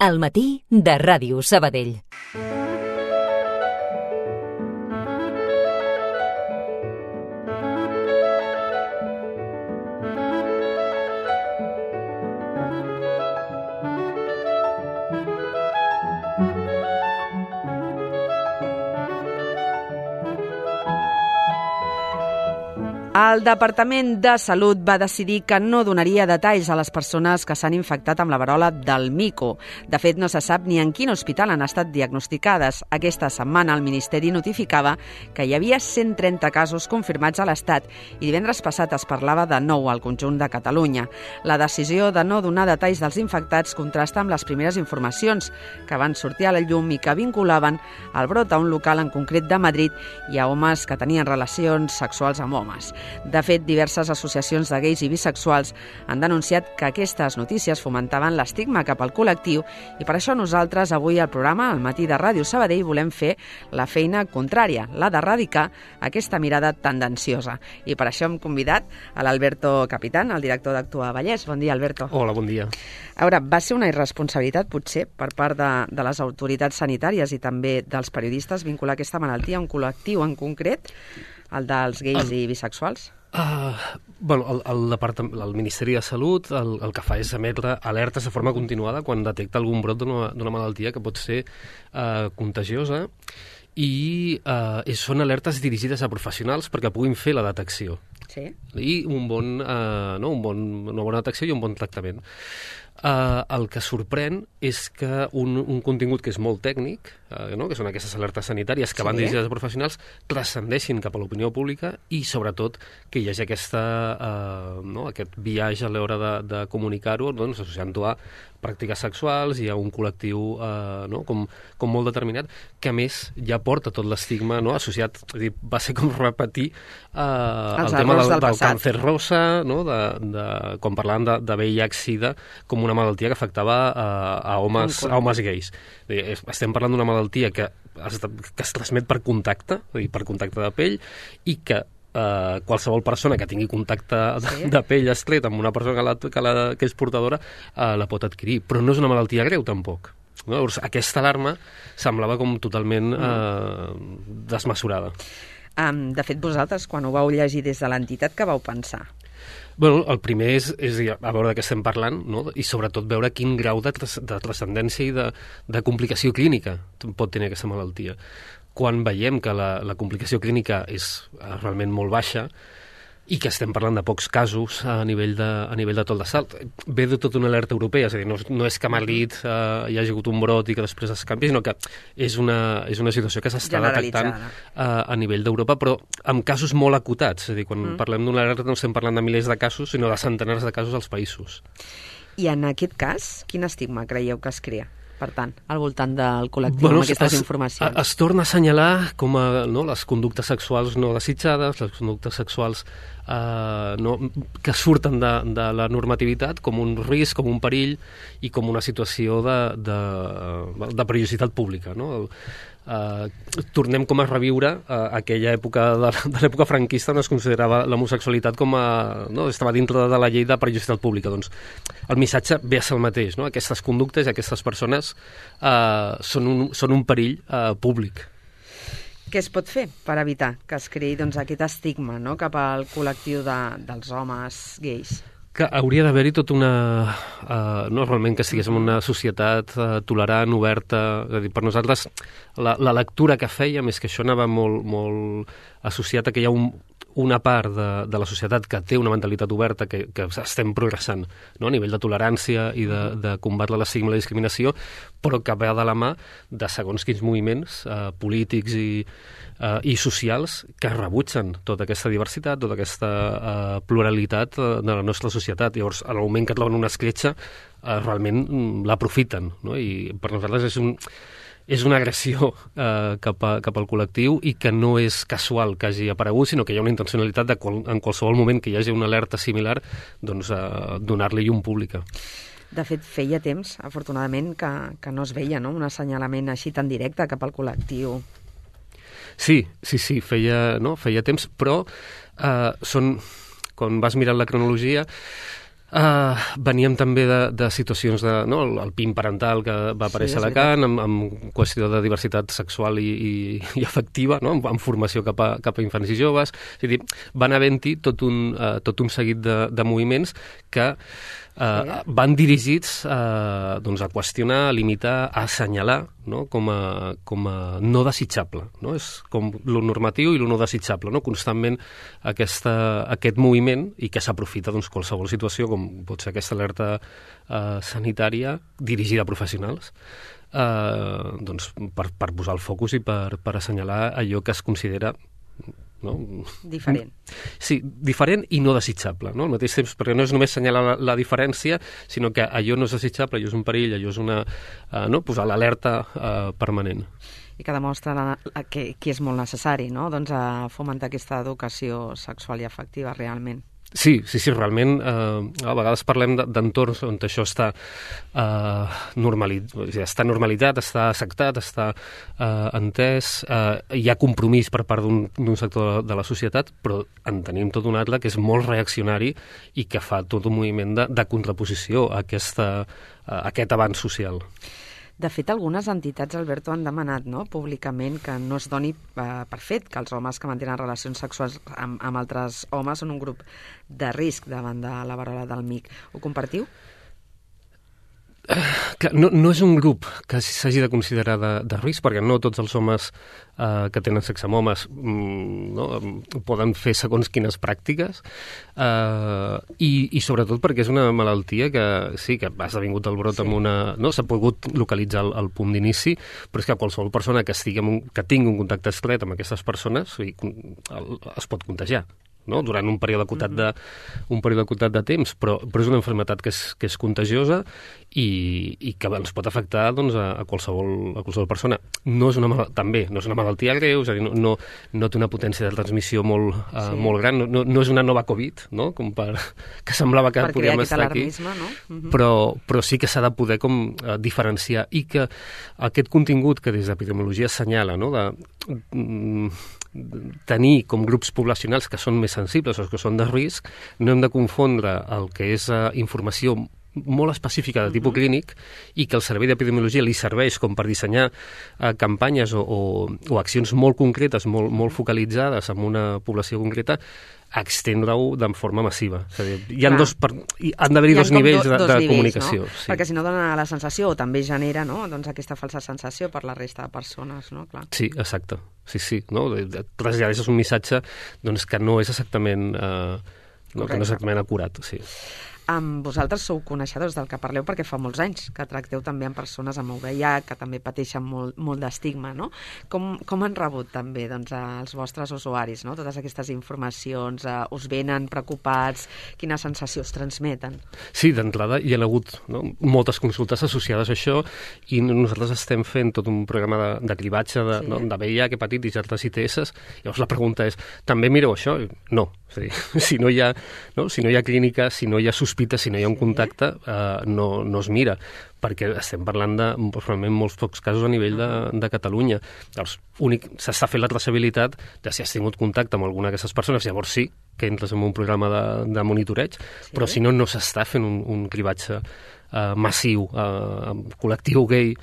Al matí de Ràdio Sabadell. El Departament de Salut va decidir que no donaria detalls a les persones que s'han infectat amb la verola del mico. De fet, no se sap ni en quin hospital han estat diagnosticades. Aquesta setmana el Ministeri notificava que hi havia 130 casos confirmats a l'Estat i divendres passat es parlava de 9 al conjunt de Catalunya. La decisió de no donar detalls dels infectats contrasta amb les primeres informacions que van sortir a la llum i que vinculaven el brot a un local en concret de Madrid i a homes que tenien relacions sexuals amb homes. De fet, diverses associacions de gais i bisexuals han denunciat que aquestes notícies fomentaven l'estigma cap al col·lectiu i per això nosaltres avui al programa Al matí de Ràdio Sabadell volem fer la feina contrària, la d'erradicar aquesta mirada tendenciosa. I per això hem convidat a l'Alberto Capitán, el director d'Actua Vallès. Bon dia, Alberto. Hola, bon dia. A veure, va ser una irresponsabilitat, potser, per part de les autoritats sanitàries i també dels periodistes vincular aquesta malaltia a un col·lectiu en concret, el dels gais i bisexuals? El Ministeri de Salut el que fa és emetre alertes de forma continuada quan detecta algun brot d'una malaltia que pot ser contagiosa i són alertes dirigides a professionals perquè puguin fer la detecció. Sí. I una bona detecció i un bon tractament. El que sorprèn és que un contingut que és molt tècnic, que són aquestes alertes sanitàries que van dirigides a professionals, transcendeixin cap a l'opinió pública i, sobretot, que hi hagi aquest viatge a l'hora de comunicar-ho, associant-ho a pràctiques sexuals i a un col·lectiu com molt determinat, que a més ja porta tot l'estigma associat. És a dir, va ser com repetir el tema del càncer rosa, quan parlàvem de VIH-Sida com una malaltia que afectava a homes gais. Estem parlant d'una malaltia que es transmet per contacte, per contacte de pell, i que qualsevol persona que tingui contacte de pell estret amb una persona que és portadora la pot adquirir, però no és una malaltia greu tampoc. Llavors, aquesta alarma semblava com totalment desmesurada. De fet, vosaltres, quan ho vau llegir des de l'entitat, què vau pensar? El primer és a veure de què estem parlant, i sobretot veure quin grau de transcendència i de complicació clínica pot tenir aquesta malaltia. Quan veiem que la complicació clínica és realment molt baixa i que estem parlant de pocs casos a nivell de tot de salt, ve de tota una alerta europea, és a dir, no és que a Madrid hi hagi hagut un brot i que després es canvi, sinó que és una situació que s'està detectant a nivell d'Europa, però amb casos molt acotats. És a dir, quan parlem d'una alerta no estem parlant de milers de casos, sinó de centenars de casos als països. I en aquest cas, quin estigma creieu que es crea? Per tant, al voltant del col·lectiu amb aquestes informacions. Es torna a assenyalar com les conductes sexuals no desitjades, les conductes sexuals que surten de la normativitat com un risc, com un perill i com una situació de perillositat pública. Tornem com a reviure aquella època de l'època franquista on es considerava l'homosexualitat com estava dintre de la llei de perillositat pública. Doncs el missatge ve a ser el mateix. Aquestes conductes i aquestes persones són un perill públic. Què es pot fer per evitar que es creï aquest estigma cap al col·lectiu dels homes gais? Que hauria d'haver-hi tot una... no realment que estiguéssim en una societat tolerant, oberta. És a dir, per nosaltres, la lectura que fèiem és que això anava molt, molt associat a que hi ha una part de la societat que té una mentalitat oberta, que estem progressant a nivell de tolerància i de combatre l'estigma i la discriminació, però que va de la mà de segons quins moviments polítics i socials que rebutgen tota aquesta diversitat, tota aquesta pluralitat de la nostra societat. Llavors, en el moment que troben una escletxa, realment l'aprofiten, i per nosaltres és una agressió cap al col·lectiu i que no és casual que hagi aparegut, sinó que hi ha una intencionalitat en qualsevol moment que hi hagi una alerta similar, donar-li llum pública. De fet, feia temps, afortunadament, que no es veia un assenyalament així tan directe cap al col·lectiu. Sí, feia temps, però quan vas mirant la cronologia Veníem també de situacions el PIN parental que va aparèixer a Alacant, amb qüestió de diversitat sexual i afectiva, no? amb formació cap a infants i joves. És a dir, van havent-hi tot un seguit de moviments que van dirigits a qüestionar, a limitar, a assenyalar, no? com a no desitjable. No? És com lo normatiu i lo no desitjable, no? Constantment aquest moviment, i que s'aprofita qualsevol situació, com pot ser aquesta alerta sanitària dirigida a professionals, per posar el focus i per assenyalar allò que es considera diferent. Sí, diferent i no desitjable, no? Al mateix temps, perquè no és només assenyalar la diferència, sinó que allò no és desitjable, allò és un perill, allò és posar l'alerta permanent. I que demostra que és molt necessari, no? Fomentar aquesta educació sexual i afectiva realment. Sí, realment a vegades parlem d'entorns on això està normalitzat, està acceptat, està entès, hi ha compromís per part d'un sector de la societat, però en tenim tot un altre que és molt reaccionari i que fa tot un moviment de contraposició a aquest avanç social. De fet, algunes entitats, Alberto, han demanat públicament que no es doni per fet que els homes que mantenen relacions sexuals amb altres homes són un grup de risc davant de la verola del MIC. Ho compartiu? No és un grup que s'hagi de considerar de risc, perquè no tots els homes que tenen sexe amb homes poden fer segons quines pràctiques, i sobretot perquè és una malaltia que sí, que ha esdevingut el brot amb s'ha pogut localitzar el punt d'inici, però és que qualsevol persona que tingui un contacte estret amb aquestes persones es pot contagiar. No? Durant un període acotat de temps, però és una malaltia que és contagiosa i que ens pot afectar a qualsevol persona. No és una malaltia greu, és a dir, no té una potència de transmissió molt gran, no és una nova Covid, no? Com que semblava que podíem estar aquí, però sí que s'ha de poder diferenciar, i que aquest contingut que des d'epidemiologia assenyala, no? De tenir com grups poblacionals que són més sensibles o que són de risc, no hem de confondre el que és informació molt específica de tipus clínic, i que el servei d'epidemiologia li serveix com per dissenyar campanyes o accions molt concretes, molt focalitzades en una població concreta, a extendre-ho de forma massiva. És a dir, han d'haver-hi dos nivells de comunicació. No? Sí. Perquè si no dona la sensació, o també genera aquesta falsa sensació per la resta de persones. No? Clar. Sí, exacte. Sí. No? Traslladeixes un missatge que no és exactament acurat. Sí. Vosaltres sou coneixedors del que parleu perquè fa molts anys que tracteu també amb persones amb VIH que també pateixen molt d'estigma, no? Com han rebut també els vostres usuaris, no? Totes aquestes informacions, us venen preocupats, quina sensació us transmeten? Sí, d'entrada hi ha hagut moltes consultes associades a això, i nosaltres estem fent tot un programa de cribatge de VIH, hepatitis i altres ITS. Llavors la pregunta és, també mireu això? No. És a dir, si no hi ha clínica, si no hi ha sospita, si no hi ha un contacte, no es mira, perquè estem parlant de probablement molts pocs casos a nivell de Catalunya. Llavors, s'està fent la traçabilitat de si has tingut contacte amb alguna d'aquestes persones, llavors sí que entres en un programa de monitoreig, però si no s'està fent un cribatge massiu, col·lectiu gai,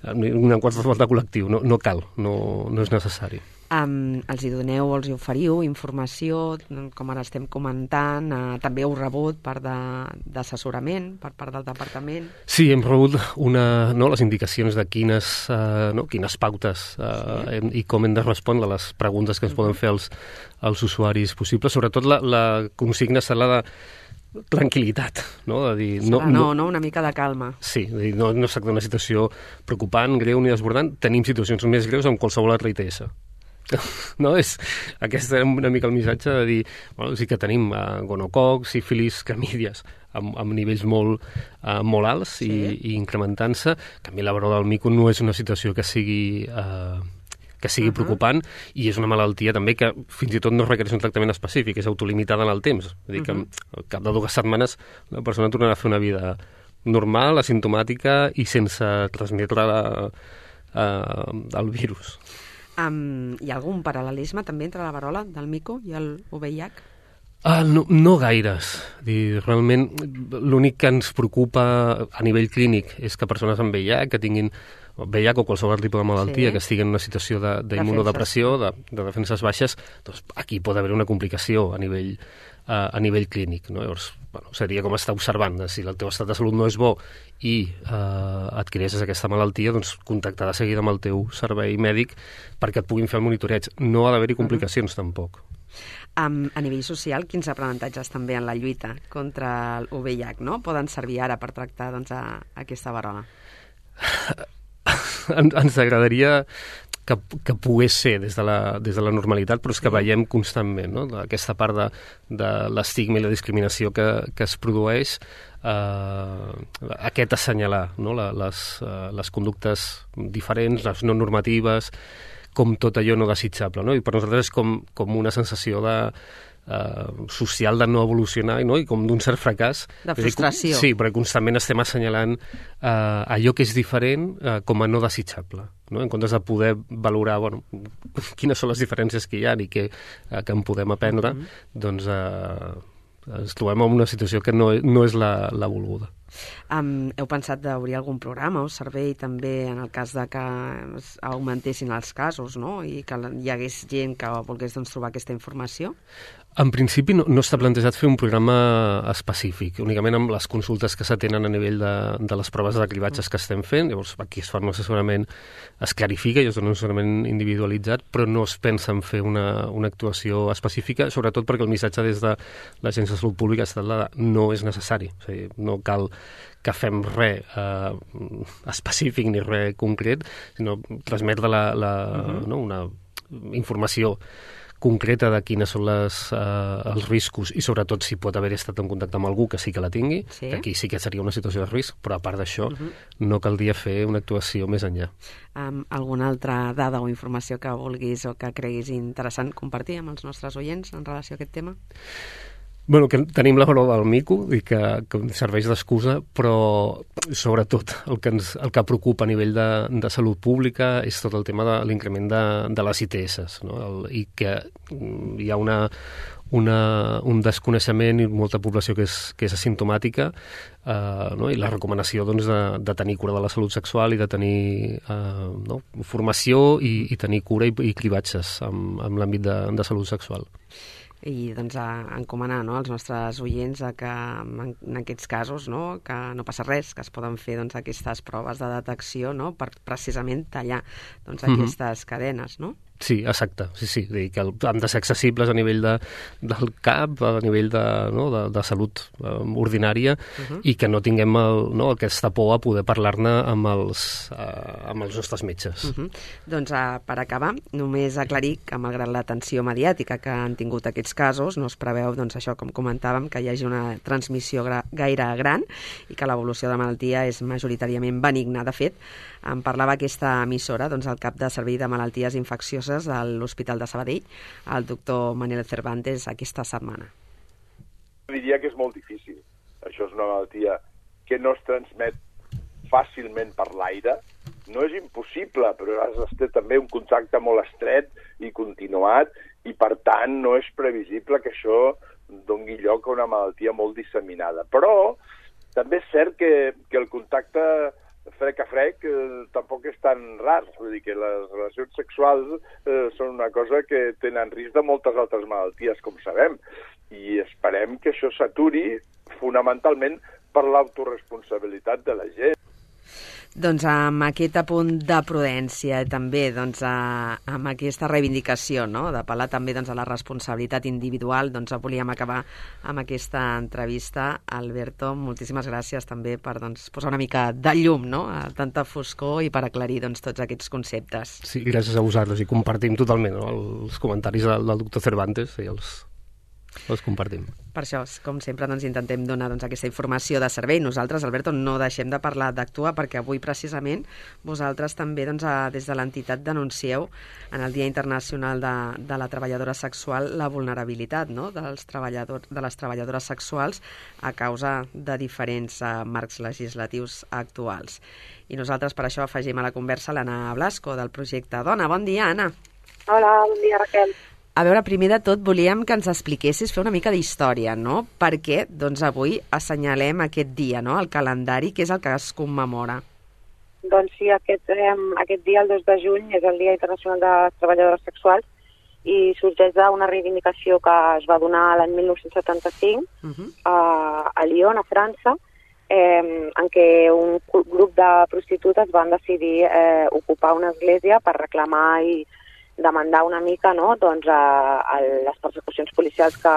en qualsevol de col·lectiu, no cal, no és necessari. Els hi doneu o els hi oferiu informació, com ara estem comentant, també heu rebut part d'assessorament per part del departament? Sí, hem rebut les indicacions de quines pautes i com hem de respondre a les preguntes que ens poden fer els usuaris possibles. Sobretot la consigna serà la de tranquil·litat, no? De dir, una mica de calma. Sí, de dir, no es tracta d'una situació preocupant, greu ni desbordant. Tenim situacions més greus amb qualsevol altra ITS. Aquest era una mica el missatge de dir, sí que tenim gonococ, sífilis, clamídies amb nivells molt alts i incrementant-se. En canvi, la verola del mico no és una situació que sigui preocupant, i és una malaltia també que fins i tot no requereix un tractament específic, és autolimitada en el temps. És a dir, que al cap de 2 setmanes la persona tornarà a fer una vida normal, asimptomàtica i sense transmetre el virus. Hi ha algun paral·lelisme també entre la verola del mico i el VIH? No gaires. Realment, l'únic que ens preocupa a nivell clínic és que persones amb VIH, que tinguin VIH o qualsevol tipus de malaltia, que estigui en una situació d'immunodepressió, de defenses baixes, doncs aquí pot haver una complicació a nivell clínic. No? Llavors, seria com estar observant si el teu estat de salut no és bo i adquireixes aquesta malaltia, doncs contactar de seguida amb el teu servei mèdic perquè et puguin fer el monitoreig. No ha d'haver-hi complicacions tampoc. A nivell social, quins aprenentatges també en la lluita contra el VIH, no? Poden servir ara per tractar aquesta verola? Ens agradaria que pogués ser des de la normalitat, però és que veiem constantment, no? Aquesta part de l'estigma i la discriminació que es produeix, aquest assenyalar, no? Les conductes diferents, les no normatives, com tot allò no desitjable, no? I per nosaltres és com una sensació social de no evolucionar, no? I com d'un cert fracàs. De frustració. Sí, perquè constantment estem assenyalant allò que és diferent com a no desitjable, no? En comptes de poder valorar quines són les diferències que hi ha i que en podem aprendre, doncs ens trobem en una situació que no és la volguda. Heu pensat d'obrir algun programa o servei també en el cas de que augmentessin els casos, no? I que hi hagués gent que volgués trobar aquesta informació? En principi no està plantejat fer un programa específic, únicament amb les consultes que s'atenen a nivell de les proves de cribatges que estem fent. Llavors aquí es fa un assessorament, es clarifica i es dona un assessorament individualitzat, però no es pensa en fer una actuació específica, sobretot perquè el missatge des de l'Agència de Salut Pública ha estat no és necessari, o sigui, no cal que fem res específic ni res concret, sinó transmetre una informació concreta de quines són els riscos i sobretot si pot haver estat en contacte amb algú que sí que la tingui, que aquí sí que seria una situació de risc, però a part d'això no caldria fer una actuació més enllà. Alguna altra dada o informació que vulguis o que creguis interessant compartir amb els nostres oients en relació a aquest tema? Bueno, que tenim la verola del mico i que serveix d'excusa, però sobretot el que preocupa a nivell de salut pública és tot el tema de l'increment de les ITS, no? I que hi ha un desconeixement i molta població que és asimptomàtica, no? I la recomanació de tenir cura de la salut sexual i de tenir formació i tenir cura i cribatges en l'àmbit de salut sexual. I encomanar als nostres oients que en aquests casos que no passa res, que es poden fer aquestes proves de detecció per precisament tallar aquestes cadenes, no? Sí, exacte, sí, que han de ser accessibles a nivell del CAP, a nivell de salut ordinària i que no tinguem aquesta por a poder parlar-ne amb els nostres metges. Doncs per acabar, només aclarir que malgrat l'atenció mediàtica que han tingut aquests casos, no es preveu, això com comentàvem, que hi hagi una transmissió gaire gran i que l'evolució de la malaltia és majoritàriament benigna. De fet, en parlava aquesta emissora, el cap de servei de malalties infeccioses de l'Hospital de Sabadell, el doctor Manel Cervantes, aquesta setmana. Diria que és molt difícil. Això és una malaltia que no es transmet fàcilment per l'aire. No és impossible, però has de ter també un contacte molt estret i continuat i, per tant, no és previsible que això doni lloc a una malaltia molt disseminada. Però també és cert que el contacte frec a frec tampoc és tan rar. Vull dir que les relacions sexuals són una cosa que tenen risc de moltes altres malalties, com sabem, i esperem que això s'aturi fonamentalment per l'autoresponsabilitat de la gent. Doncs amb aquest apunt de prudència i també amb aquesta reivindicació, d'apel·lar també a la responsabilitat individual, volíem acabar amb aquesta entrevista. Alberto, moltíssimes gràcies també per posar una mica de llum a tanta foscor i per aclarir tots aquests conceptes. Sí, gràcies a vosaltres i compartim totalment els comentaris del doctor Cervantes i els compartim. Per això, com sempre, intentem donar aquesta informació de servei. Nosaltres, Alberto, no deixem de parlar d'Actua perquè avui, precisament, vosaltres també, des de l'entitat, denuncieu en el Dia Internacional de la Treballadora Sexual la vulnerabilitat de les treballadores sexuals a causa de diferents marcs legislatius actuals. I nosaltres, per això, afegim a la conversa l'Anna Blasco, del projecte Dona. Bon dia, Anna. Hola, bon dia, Raquel. A veure, primer de tot, volíem que ens expliquessis, fer una mica d'història, no? Perquè, doncs, avui assenyalem aquest dia, no?, el calendari, que és el que es commemora. Doncs sí, aquest dia, el 2 de juny, és el Dia Internacional de les Treballadores Sexuals i sorgeix d'una reivindicació que es va donar l'any 1975 a Lyon, a França, en què un grup de prostitutes van decidir ocupar una església per reclamar i demandar una mica, no?, doncs, a les persecucions policials que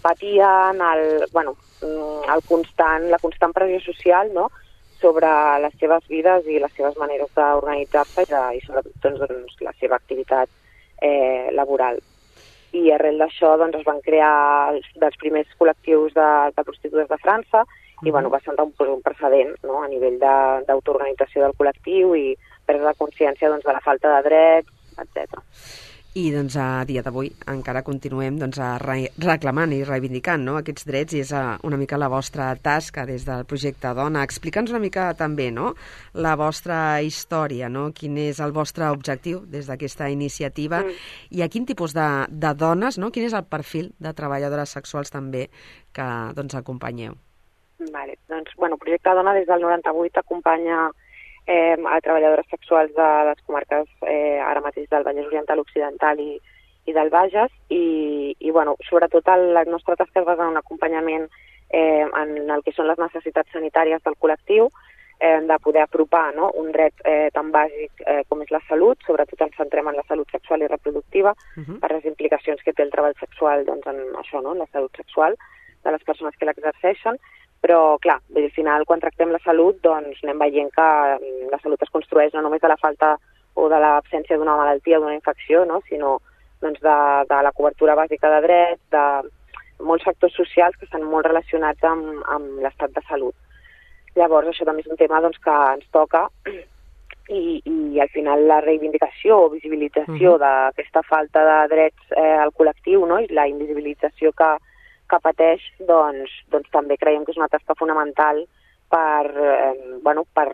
patien, la constant pressió social, no?, sobre les seves vides i les seves maneres d'organitzar-se i sobretot doncs, la seva activitat laboral. I arrel d'això doncs, es van crear dels primers col·lectius de prostitutes de França i va ser un precedent, no?, a nivell d'autoorganització del col·lectiu i presa de consciència doncs, de la falta de drets, etc. I doncs a dia d'avui encara continuem doncs, reclamant i reivindicant, no?, aquests drets, i és una mica la vostra tasca des del projecte Dona. Explica'ns una mica també, no?, la vostra història, no?, quin és el vostre objectiu des d'aquesta iniciativa i a quin tipus de dones, no?, quin és el perfil de treballadores sexuals també que doncs, acompanyeu. Vale. Doncs, Projecte Dona des del 98 acompanya a treballadores sexuals de les comarques ara mateix del Vallès Oriental Occidental i del Bages i sobretot la nostra tasca es basa en un acompanyament en el que són les necessitats sanitàries del col·lectiu, de poder apropar, no?, un dret tan bàsic com és la salut, sobretot ens centrem en la salut sexual i reproductiva per les implicacions que té el treball sexual doncs, en això, no?, en la salut sexual de les persones que l'exerceixen. Però, clar, al final, quan tractem la salut, doncs anem veient que la salut es construeix no només de la falta o de l'absència d'una malaltia o d'una infecció, no?, sinó doncs, de la cobertura bàsica de drets, de molts factors socials que estan molt relacionats amb l'estat de salut. Llavors, això també és un tema doncs, que ens toca i al final la reivindicació o visibilització d'aquesta falta de drets al col·lectiu, no?, i la invisibilització que pateix, doncs també creiem que és una tasca fonamental per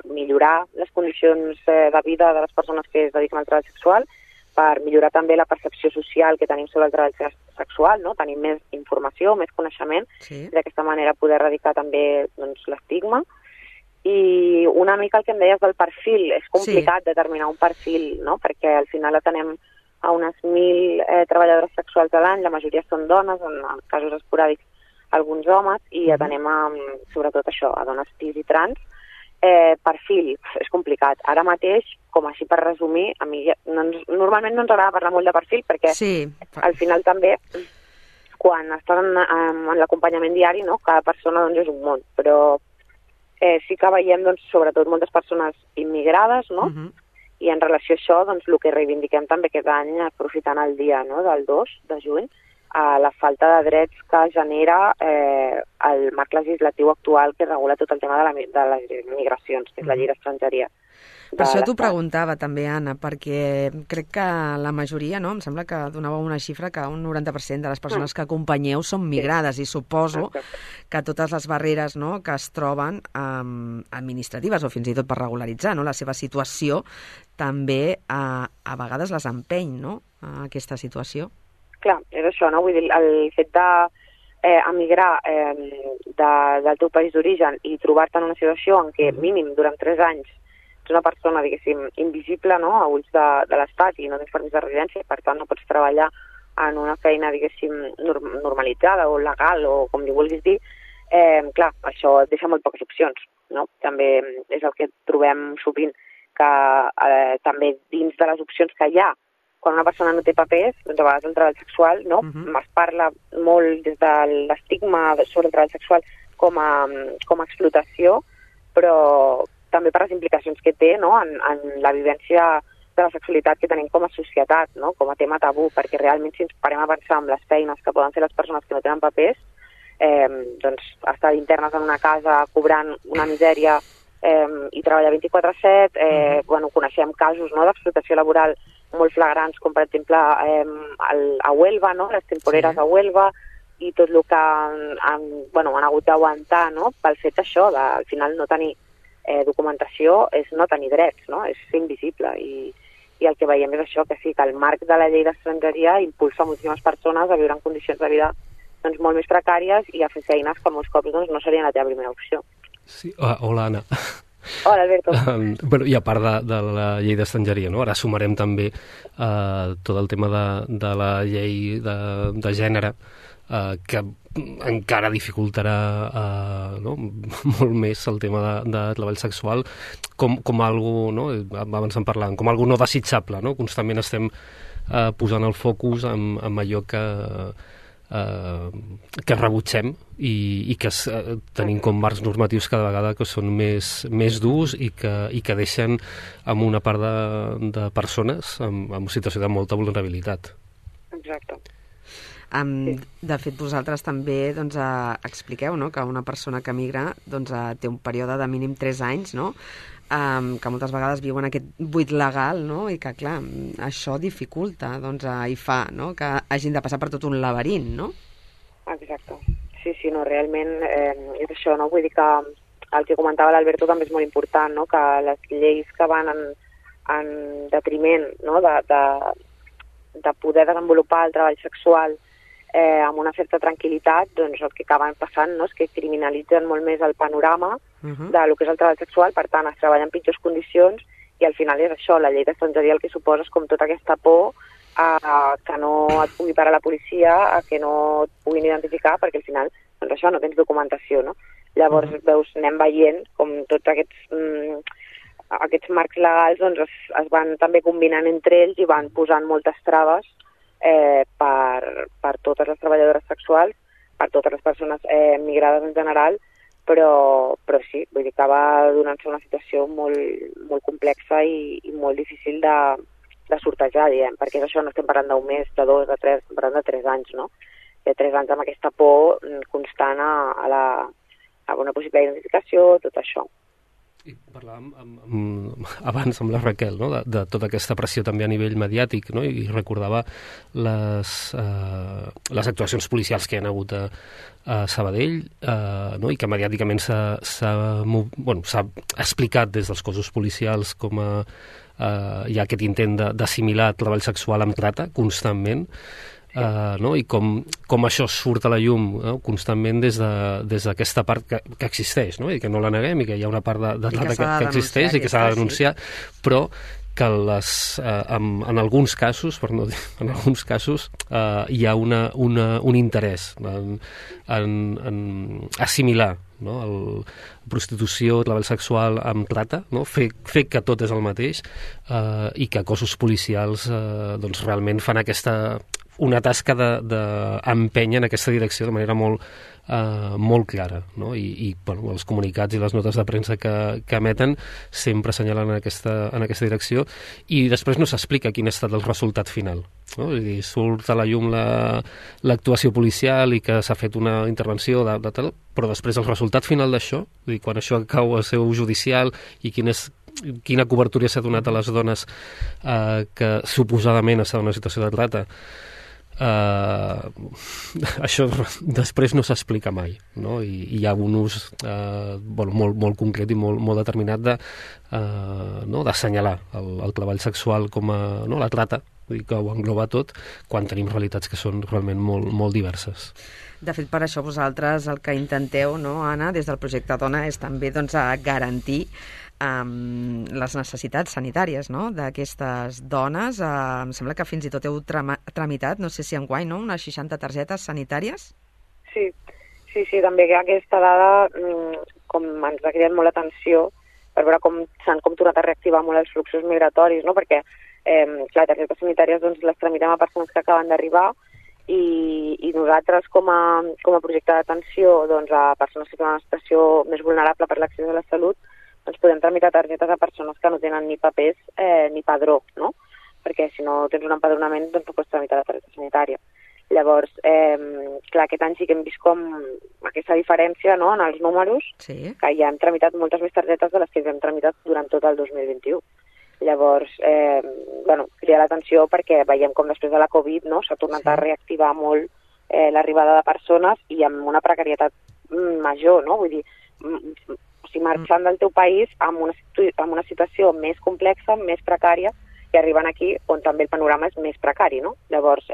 millorar les condicions de vida de les persones que es dediquen al treball sexual, per millorar també la percepció social que tenim sobre el treball sexual, no?, tenir més informació, més coneixement, d'aquesta manera poder erradicar també doncs, l'estigma. I una mica el que em deies del perfil, és complicat determinar un perfil, no?, perquè al final atenem a unes 1.000 treballadores sexuals a l'any, la majoria són dones, en casos esporàdics alguns homes, i atenem sobretot això, a dones cis i trans. Perfil, és complicat. Ara mateix, com així per resumir, a mi normalment no ens agrada parlar molt de perfil, perquè al final també, quan estàs en l'acompanyament diari, no?, cada persona doncs, és un món, però sí que veiem doncs, sobretot moltes persones immigrades, no?, i en relació a això, doncs, el que reivindiquem també aquest any, aprofitant el dia, no?, del 2 de juny, la falta de drets que genera el marc legislatiu actual que regula tot el tema de les migracions, que és la llei d'estrangeria. Per això t'ho preguntava també, Anna, perquè crec que la majoria, no?, em sembla que donava una xifra que un 90% de les persones que acompanyeu són migrades, i suposo que totes les barreres, no?, que es troben administratives o fins i tot per regularitzar, no?, la seva situació, també a vegades les empeny, no?, a aquesta situació. Clar, és això, no? Vull dir, el fet d'emigrar del teu país d'origen i trobar-te en una situació en què mínim durant 3 anys ets una persona, diguéssim, invisible, no?, a ulls de l'Estat i no tens permís de residència, per tant no pots treballar en una feina, diguéssim, normalitzada o legal o com li vulguis dir, clar, això et deixa molt poques opcions, no? També és el que trobem sovint, que també dins de les opcions que hi ha, quan una persona no té papers, doncs a vegades el treball sexual, no? Es parla molt des de l'estigma sobre el treball sexual com a explotació, però també per les implicacions que té, no?, en la vivència de la sexualitat que tenim com a societat, no?, com a tema tabú, perquè realment si ens parem a pensar en les feines que poden fer les persones que no tenen papers, doncs estar internes en una casa cobrant una misèria i treballar 24/7, coneixem casos, no?, d'explotació laboral molt flagrants, com per exemple a Huelva, no?, les temporeres a Huelva, i tot el que han hagut d'aguantar, no?, pel fet això, al final no tenir documentació és no tenir drets, no?, és ser invisible, i i el que veiem és això, que sí, que el marc de la llei d'estrangeria impulsa moltíssimes persones a viure en condicions de vida doncs, molt més precàries i a fer feines que molts cops doncs, no serien la teva primera opció. Sí, hola, Anna. Hola, Alberto. I a part de la llei d'estrangeria, no? Ara sumarem també tot el tema de la llei de gènere, que encara dificultarà molt més el tema de treball sexual com algo, no? Abans en parlàvem, com algo no desitjable, no? Constantment estem posant el focus en allò que rebutgem i que tenim com marcs normatius cada vegada que són més durs i que deixen amb una part de persones en situació de molta vulnerabilitat. Exacte. De fet, vosaltres també doncs, expliqueu, no?, que una persona que migra doncs, té un període de mínim 3 anys, no?, que moltes vegades viuen aquest buit legal, no?, i que, clar, això dificulta doncs, i fa, no?, que hagin de passar per tot un laberint, no? Exacte. Sí, no, realment és això, no? Vull dir que el que comentava l'Alberto també és molt important, no?, que les lleis que van en detriment, no?, de poder desenvolupar el treball sexual amb una certa tranquil·litat, doncs el que acaben passant, no?, és que criminalitzen molt més el panorama de lo que és el treball sexual, per tant es treballa en pitjors condicions i al final és això, la llei d'estrangeria el que suposa és com tota aquesta por que no et pugui parar la policia, a que no et puguin identificar, perquè al final doncs això, no tens documentació, no? Llavors veus, anem veient com tots aquests marcs legals doncs, es van també combinant entre ells i van posant moltes traves per totes les treballadores sexuals, per totes les persones migrades en general, però sí, vull dir que va donant-se una situació molt complexa i molt difícil de sortejar, diguem, perquè és això, no estem parlant d'un mes, de 2, de 3, estem parlant de 3 anys, no? De 3 anys amb aquesta por constant a una possible identificació, tot això. I parlàvem abans amb la Raquel, no?, de tota aquesta pressió també a nivell mediàtic, no?, i recordava les actuacions policials que hi ha hagut a Sabadell, no?, i que mediàticament s'ha explicat des dels cossos policials com hi ha aquest intent d'assimilar treball sexual amb trata constantment, no? I com això surt a la llum, no?, constantment des d'aquesta part que existeix, no?, i que no la neguem i que hi ha una part de trata que existeix i que s'ha de denunciar, però que en alguns casos, per no dir, en alguns casos hi ha un interès en assimilar, no?, prostitució, treball sexual amb trata, no?, fer que tot és el mateix i que cossos policials doncs realment fan una tasca d'empènyer en aquesta direcció de manera molt clara, no? I bueno, els comunicats i les notes de premsa que emeten sempre assenyalen en aquesta direcció i després no s'explica quin ha estat el resultat final, no? És a dir, surt a la llum l'actuació policial i que s'ha fet una intervenció de tal, però després el resultat final d'això, quan això cau a seu judicial i quina cobertura s'ha donat a les dones que suposadament estan en una situació de trata, això després no s'explica mai, no? I hi ha un ús molt concret i molt determinat d'assenyalar el treball sexual com la trata, que ho engloba tot, quan tenim realitats que són realment molt diverses. De fet, per això vosaltres el que intenteu, no, Anna, des del projecte Dona, és també doncs, garantir les necessitats sanitàries, no?, d'aquestes dones. Em sembla que fins i tot heu tramitat, no sé si enguany, no?, unes 60 targetes sanitàries? Sí, també aquesta dada com ens ha cridat molt l'atenció per veure com s'han tornat a reactivar molt els fluxos migratoris, no?, perquè clar, targetes sanitàries doncs, les tramitem a persones que acaben d'arribar i nosaltres com a projecte d'atenció doncs, a persones que tenen una situació més vulnerable per l'accés a la salut, doncs podem tramitar targetes a persones que no tenen ni papers ni padró, no? Perquè si no tens un empadronament doncs no pots tramitar la targeta sanitària. Llavors, clar, aquest any sí que hem vist com aquesta diferència, no?, en els números, sí, que ja hem tramitat moltes més targetes de les que hem tramitat durant tot el 2021. Llavors, cridar l'atenció perquè veiem com després de la Covid, no?, s'ha tornat a reactivar molt l'arribada de persones i amb una precarietat major, no? Vull dir, marxant del teu país amb una situació més complexa, més precària, i que arriben aquí on també el panorama és més precari, no? Llavors,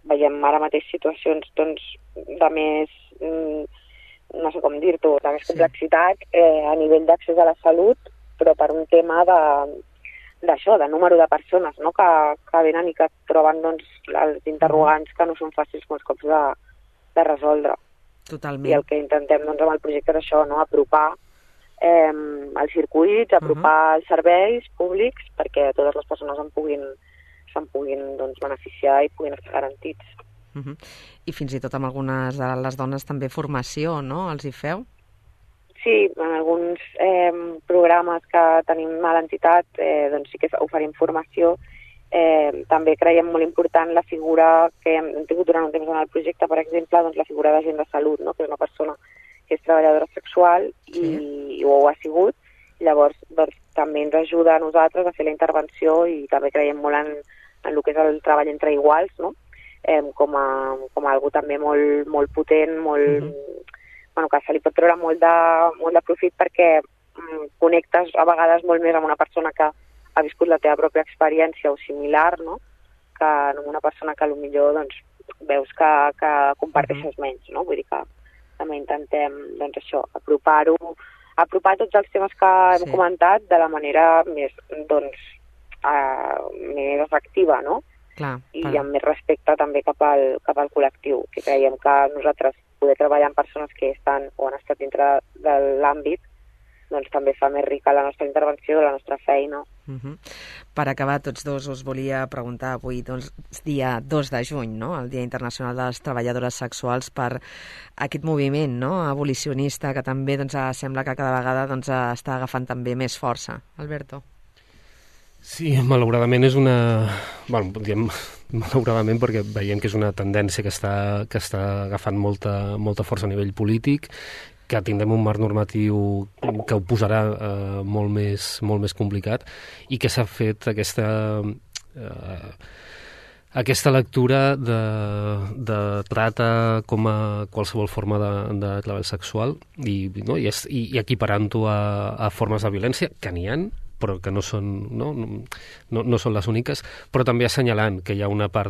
veiem ara mateix situacions doncs, de més, no sé com dir-t'ho, de més complexitat a nivell d'accés a la salut, però per un tema d'això, de número de persones, no? que venen i que troben doncs, els interrogants que no són fàcils molts cops de resoldre. Totalment. I el que intentem doncs, amb el projecte és això, no? Apropar els circuits, apropar els serveis públics perquè totes les persones se'n puguin doncs, beneficiar i puguin estar garantits. I fins i tot amb algunes de les dones també formació, no? Els hi feu? Sí, en alguns programes que tenim a l'entitat doncs sí que oferim formació. També creiem molt important la figura que hem tingut durant un temps en el projecte, per exemple, doncs la figura d'agent de salut, no? Que és una persona que és treballadora sexual i ho ha sigut. Llavors, doncs, també ens ajuda a nosaltres a fer la intervenció i també creiem molt en el que és el treball entre iguals, no? Com a algo també molt, molt potent, que se li pot treure molt de profit perquè connectes a vegades molt més amb una persona que ha viscut la teva pròpia experiència o similar, no? Que amb una persona que potser doncs, veus que comparteixes menys, no? Vull dir que també intentem doncs, això, apropar tots els temes que hem comentat de la manera més, doncs, més efectiva, no? Clar, I amb més respecte també cap al col·lectiu, que creiem que nosaltres poder treballar amb persones que estan o han estat dintre de l'àmbit doncs també fa més rica la nostra intervenció, la nostra feina. Per acabar, tots dos us volia preguntar avui, doncs, dia 2 de juny, no? El Dia Internacional de les Treballadores Sexuals, per aquest moviment, no? Abolicionista que també doncs, sembla que cada vegada doncs, està agafant també més força. Alberto? Sí, malauradament és una... Bueno, diem malauradament perquè veiem que és una tendència que està agafant molta força a nivell polític, que tindrem un marc normatiu que ho posarà molt més complicat i que s'ha fet aquesta lectura de trata com a qualsevol forma de treball sexual i equiparant-ho a formes de violència, que n'hi ha, però que no són les úniques, però també assenyalant que hi ha una part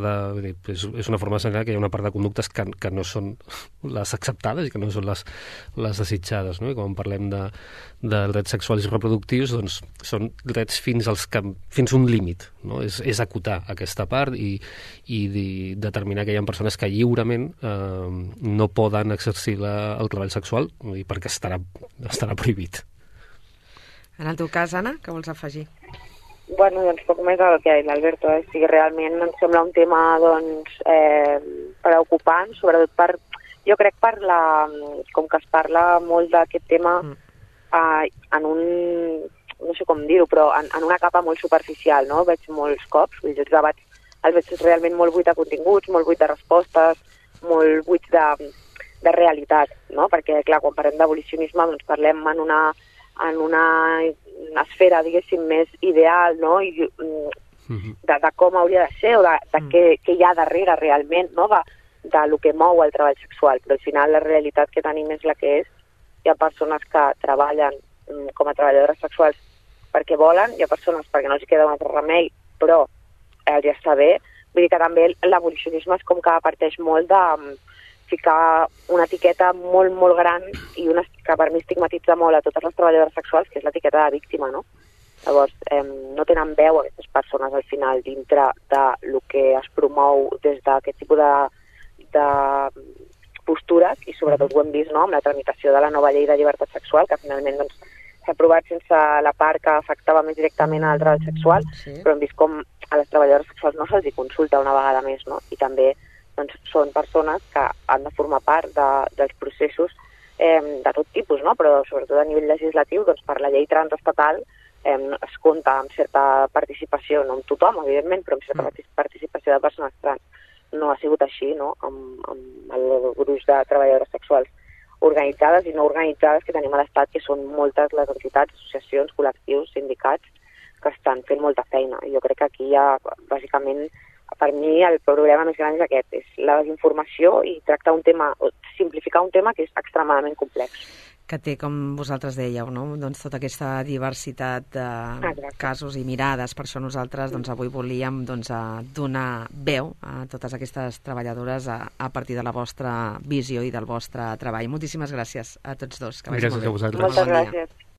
és una forma d'assenyalar que hi ha una part de conductes que no són les acceptades i que no són les desitjades, no? I quan parlem de drets sexuals i reproductius, doncs són drets fins un límit, no? És acotar aquesta part i determinar que hi ha persones que lliurement no poden exercir el treball sexual perquè estarà prohibit. En el teu cas, Anna, què vols afegir? Bueno, doncs poc més del que ha dit l'Alberto. Sí, realment ens sembla un tema doncs, preocupant, sobretot jo crec com que es parla molt d'aquest tema en un, no sé com dir-ho, però en una capa molt superficial, no? Veig molts cops, vull dir, els debats els veig realment molt buit de continguts, molt buit de respostes, molt buit de realitat, no? Perquè, clar, quan parlem d'abolicionisme, doncs parlem en una esfera, diguéssim, més ideal, no? I de com hauria de ser o de què hi ha darrere realment, no? De lo que mou el treball sexual. Però al final la realitat que tenim és la que és. Hi ha persones que treballen com a treballadores sexuals perquè volen, hi ha persones perquè no els queda un altre remei, però els està bé. Vull dir que també l'abolicionisme és com que parteix molt de ficar una etiqueta molt, molt gran i que per mi estigmatitza molt a totes les treballadores sexuals, que és l'etiqueta de víctima, no? Llavors, no tenen veu aquestes persones al final dintre del que es promou des d'aquest tipus de postures i sobretot ho hem vist, no?, amb la tramitació de la nova llei de llibertat sexual, que finalment doncs, s'ha aprovat sense la part que afectava més directament al treball sexual, però hem vist com a les treballadores sexuals no se'ls consulta una vegada més, no? I també doncs, són persones que han de formar part dels processos de tot tipus, no? Però sobretot a nivell legislatiu, doncs, per la llei transestatal es compta amb certa participació, no amb tothom, evidentment, però amb certa participació de persones trans. No ha sigut així, no?, amb el gruix de treballadores sexuals organitzades i no organitzades que tenim a l'Estat, que són moltes les entitats, associacions, col·lectius, sindicats, que estan fent molta feina. I jo crec que aquí hi ha, bàsicament, per mi el problema més gran és aquest, és la desinformació i tractar simplificar un tema que és extremadament complex. que té, com vosaltres dèieu, no? Doncs tota aquesta diversitat de casos i mirades. Per això nosaltres avui volíem donar veu a totes aquestes treballadores a partir de la vostra visió i del vostre treball. Moltíssimes gràcies a tots dos. Que vagi molt bé. Gràcies a vosaltres. Moltes gràcies.